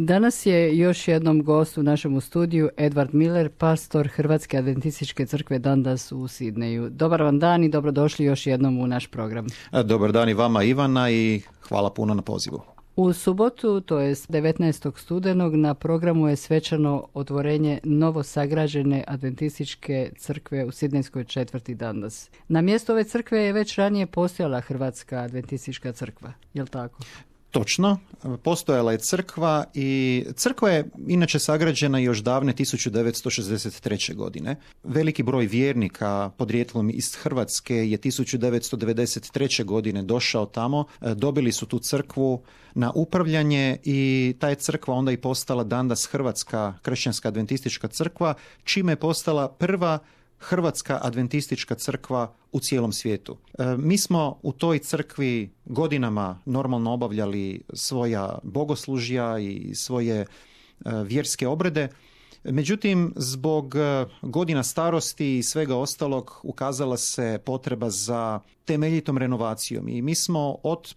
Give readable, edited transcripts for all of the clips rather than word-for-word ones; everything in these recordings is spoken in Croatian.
Danas je još jednom gost u našem studiju Edward Miller, pastor Hrvatske adventističke crkve Dundas u Sidneju. Dobar vam dan i dobrodošli još jednom u naš program. Dobar dan i vama, Ivana, i hvala puno na pozivu. U subotu, to je 19. studenog, na programu je svečano otvorenje novosagrađene adventističke crkve u sidnejskoj četvrti Dundas. Na mjestu ove crkve je već ranije postojala Hrvatska adventistička crkva, je li tako? Točno, postojala je crkva i crkva je inače sagrađena još davne 1963. godine. Veliki broj vjernika podrijetlom iz Hrvatske je 1993. godine došao tamo, dobili su tu crkvu na upravljanje i ta je crkva onda i postala Dundas Hrvatska kršćanska adventistička crkva, čime je postala prva Hrvatska adventistička crkva u cijelom svijetu. Mi smo u toj crkvi godinama normalno obavljali svoja bogoslužja i svoje vjerske obrede. Međutim, zbog godina starosti i svega ostalog ukazala se potreba za temeljitom renovacijom i mi smo od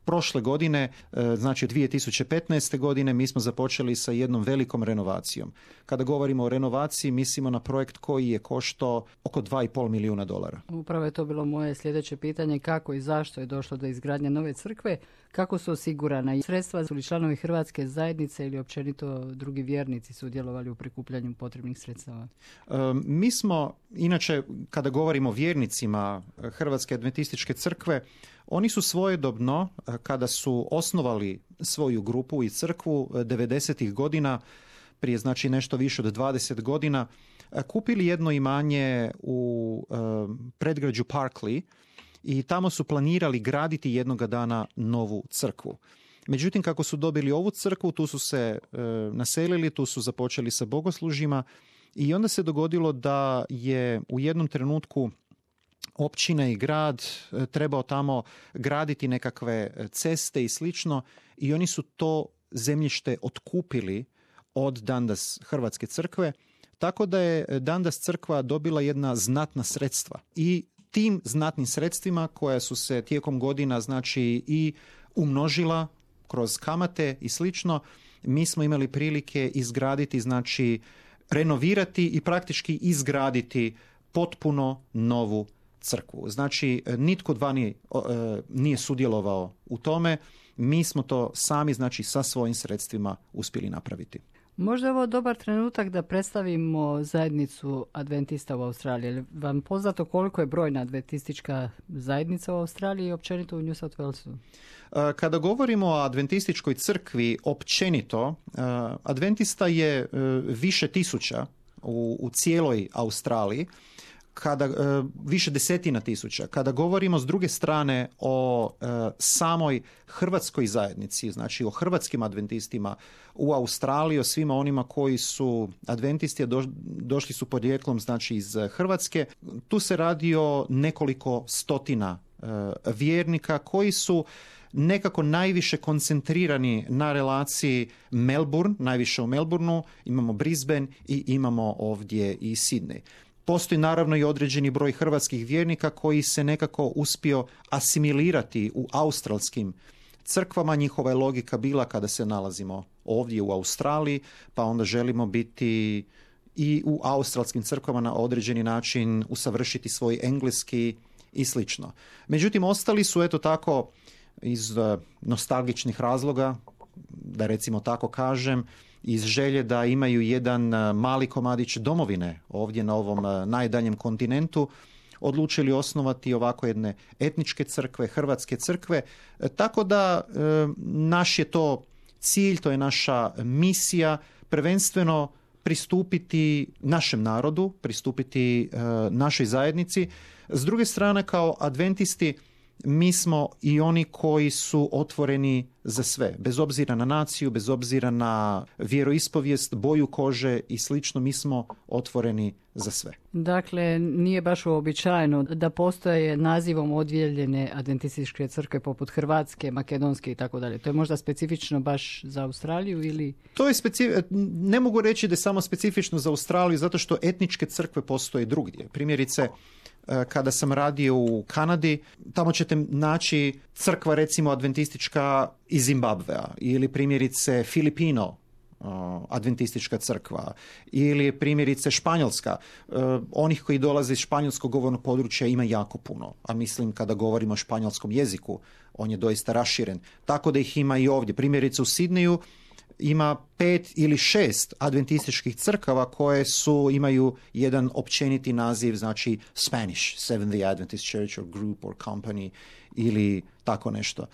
prošle godine, znači 2015. godine, mi smo započeli sa jednom velikom renovacijom. Kada govorimo o renovaciji, mislimo na projekt koji je koštao oko $2,5 milijuna. Upravo je to bilo moje sljedeće pitanje, kako i zašto je došlo do izgradnje nove crkve, kako su osigurana i sredstva, su li članovi Hrvatske zajednice ili općenito drugi vjernici sudjelovali u prikupljanju potrebnih sredstava? Mi smo, inače, kada govorimo o vjernicima Hrvatske adventističke crkve, oni su svojedobno, kada su osnovali svoju grupu i crkvu 90. godina, prije znači nešto više od 20 godina, kupili jedno imanje u predgrađu Parkley i tamo su planirali graditi jednoga dana novu crkvu. Međutim, kako su dobili ovu crkvu, tu su se naselili, tu su započeli sa bogoslužjima i onda se dogodilo da je u jednom trenutku općina i grad trebao tamo graditi nekakve ceste i slično i oni su to zemljište otkupili od Dundas Hrvatske crkve, tako da je Dundas crkva dobila jedna znatna sredstva i tim znatnim sredstvima koja su se tijekom godina znači i umnožila kroz kamate i slično, mi smo imali prilike izgraditi, znači renovirati i praktički izgraditi potpuno novu crkvu. Znači, nitko od vani nije sudjelovao u tome. Mi smo to sami, znači, sa svojim sredstvima uspjeli napraviti. Možda je ovo dobar trenutak da predstavimo zajednicu adventista u Australiji. Je vam poznato koliko je brojna adventistička zajednica u Australiji i općenito u New South Walesu? Kada govorimo o adventističkoj crkvi općenito, adventista je više tisuća u cijeloj Australiji, više desetina tisuća. Kada govorimo s druge strane o samoj hrvatskoj zajednici, znači o hrvatskim adventistima u Australiji, o svima onima koji su adventisti, a došli su podrijetlom znači iz Hrvatske, tu se radi o nekoliko stotina vjernika koji su nekako najviše koncentrirani na relaciji Melbourne, najviše u Melbourneu, imamo Brisbane i imamo ovdje i Sydney. Postoji naravno i određeni broj hrvatskih vjernika koji se nekako uspio asimilirati u australskim crkvama. Njihova je logika bila kada se nalazimo ovdje u Australiji, pa onda želimo biti i u australskim crkvama na određeni način usavršiti svoj engleski i slično. Međutim, ostali su eto tako iz nostalgičnih razloga, da recimo tako kažem, iz želje da imaju jedan mali komadić domovine ovdje na ovom najdaljem kontinentu, odlučili osnovati ovako jedne etničke crkve, hrvatske crkve. Tako da naš je to cilj, to je naša misija, prvenstveno pristupiti našem narodu, pristupiti našoj zajednici. S druge strane, kao adventisti, mi smo i oni koji su otvoreni za sve, bez obzira na naciju, bez obzira na vjeroispovijest, boju kože i slično, mi smo otvoreni za sve. Dakle, nije baš uobičajeno da postoje nazivom odjeljene adventističke crkve poput Hrvatske, Makedonske i tako dalje. To je možda specifično baš za Australiju ili? To je ne mogu reći da je samo specifično za Australiju, zato što etničke crkve postoje drugdje. Primjerice, kada sam radio u Kanadi, tamo ćete naći crkva recimo adventistička iz Zimbabvea ili primjerice Filipino adventistička crkva, ili primjerice Španjolska. Onih koji dolaze iz španjolskog govornog područja ima jako puno, a mislim kada govorimo o španjolskom jeziku, on je doista raširen. Tako da ih ima i ovdje. Primjerice u Sidneju ima 5 ili 6 adventističkih crkava koje imaju jedan općeniti naziv, znači Spanish, Seventh-day Adventist Church or Group or Company ili tako nešto.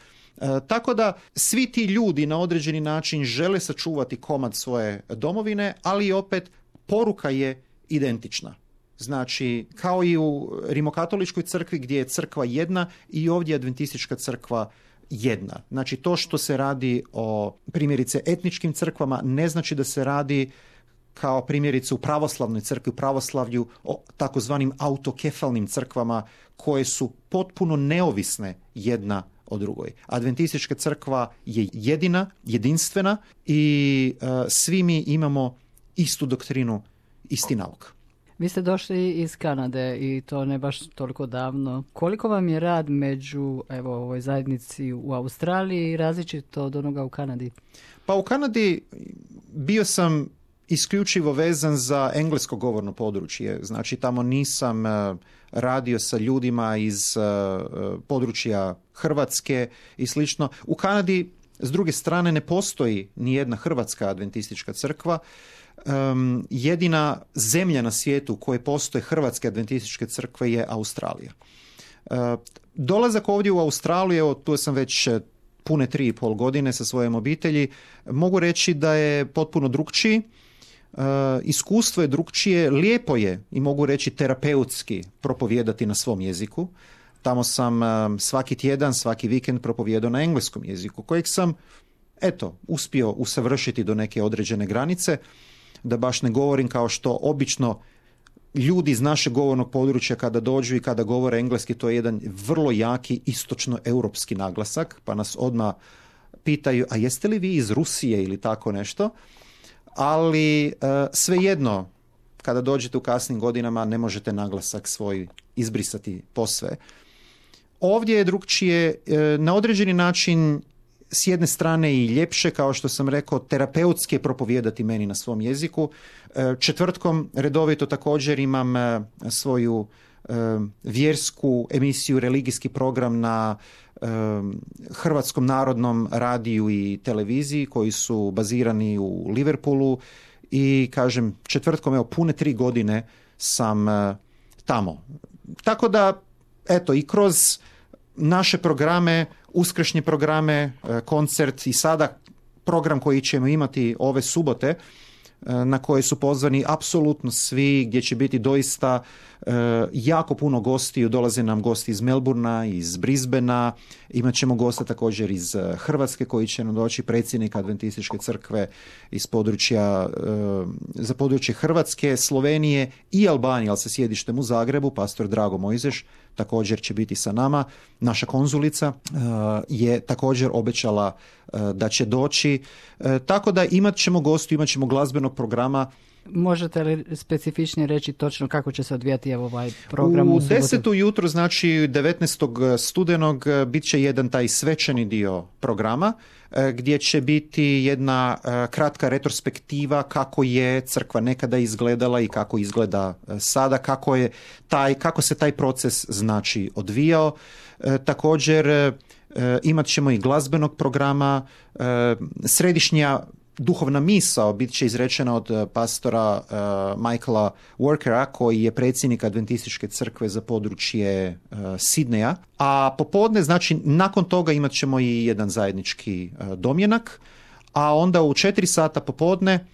Tako da svi ti ljudi na određeni način žele sačuvati komad svoje domovine, ali opet poruka je identična. Znači, kao i u rimokatoličkoj crkvi gdje je crkva jedna, i ovdje je adventistička crkva jedna. Znači, to što se radi o primjerice etničkim crkvama ne znači da se radi kao primjerice u pravoslavnoj crkvi, u pravoslavlju, o takozvanim autokefalnim crkvama koje su potpuno neovisne jedna o drugoj. Adventistička crkva je jedina, jedinstvena i svi mi imamo istu doktrinu, isti nauk. Vi ste došli iz Kanade i to ne baš toliko davno. Koliko vam je rad među ovoj zajednici u Australiji različito od onoga u Kanadi? Pa u Kanadi bio sam isključivo vezan za englesko govorno područje. Znači tamo nisam radio sa ljudima iz područja Hrvatske i slično. U Kanadi s druge strane ne postoji ni jedna hrvatska adventistička crkva. Jedina zemlja na svijetu u kojoj postoje hrvatske adventističke crkve je Australija. Dolazak ovdje u Australiju, evo tu sam već pune 3,5 godine sa svojom obitelji, mogu reći da je potpuno drukčiji. Iskustvo je drukčije, lijepo je i mogu reći terapeutski propovijedati na svom jeziku. Tamo sam svaki tjedan, svaki vikend propovijedao na engleskom jeziku, kojeg sam uspio usavršiti do neke određene granice, da baš ne govorim kao što obično ljudi iz našeg govornog područja kada dođu i kada govore engleski, to je jedan vrlo jaki istočno-europski naglasak, pa nas odmah pitaju, a jeste li vi iz Rusije ili tako nešto? Ali svejedno, kada dođete u kasnim godinama, ne možete naglasak svoj izbrisati posve. Ovdje je drukčije, na određeni način s jedne strane i ljepše, kao što sam rekao, terapeutski je propovijedati meni na svom jeziku. Četvrtkom redovito također imam svoju vjersku emisiju, religijski program na Hrvatskom narodnom radiju i televiziji koji su bazirani u Liverpoolu i kažem četvrtkom, pune 3 godine sam tamo. Tako da, i kroz naše programe, uskršnje programe, koncert i sada program koji ćemo imati ove subote, na koje su pozvani apsolutno svi, gdje će biti doista jako puno gostiju. Dolaze nam gosti iz Melburna, iz Brisbanea, imat ćemo gosta također iz Hrvatske koji će nam doći, predsjednik Adventističke crkve iz područja, za područje Hrvatske, Slovenije i Albanije, ali sa sjedištem u Zagrebu, pastor Drago Mojzeš također će biti sa nama. Naša konzulica je također obećala da će doći. Tako da imat ćemo gostu, imat ćemo glazbenog programa. Možete li specifičnije reći točno kako će se odvijati ovaj program? U 10 ujutro, znači 19. studenog, bit će jedan taj svečani dio programa gdje će biti jedna kratka retrospektiva kako je crkva nekada izgledala i kako izgleda sada, kako se taj proces znači odvijao. Također imat ćemo i glazbenog programa, središnja duhovna misao bit će izrečena od pastora Michaela Workera, koji je predsjednik Adventističke crkve za područje Sidneja. A popodne, znači nakon toga imat ćemo i jedan zajednički domjenak, a onda u 4 sata popodne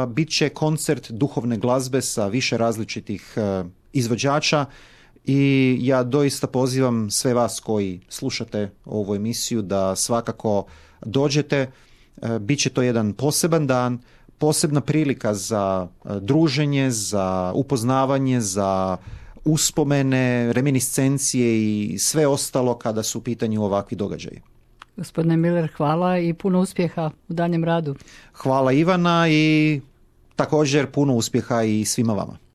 bit će koncert duhovne glazbe sa više različitih izvođača. I ja doista pozivam sve vas koji slušate ovu emisiju da svakako dođete. Biće to jedan poseban dan, posebna prilika za druženje, za upoznavanje, za uspomene, reminiscencije i sve ostalo kada su u pitanju ovakvi događaji. Gospodine Miller, hvala i puno uspjeha u daljem radu. Hvala Ivana i također puno uspjeha i svima vama.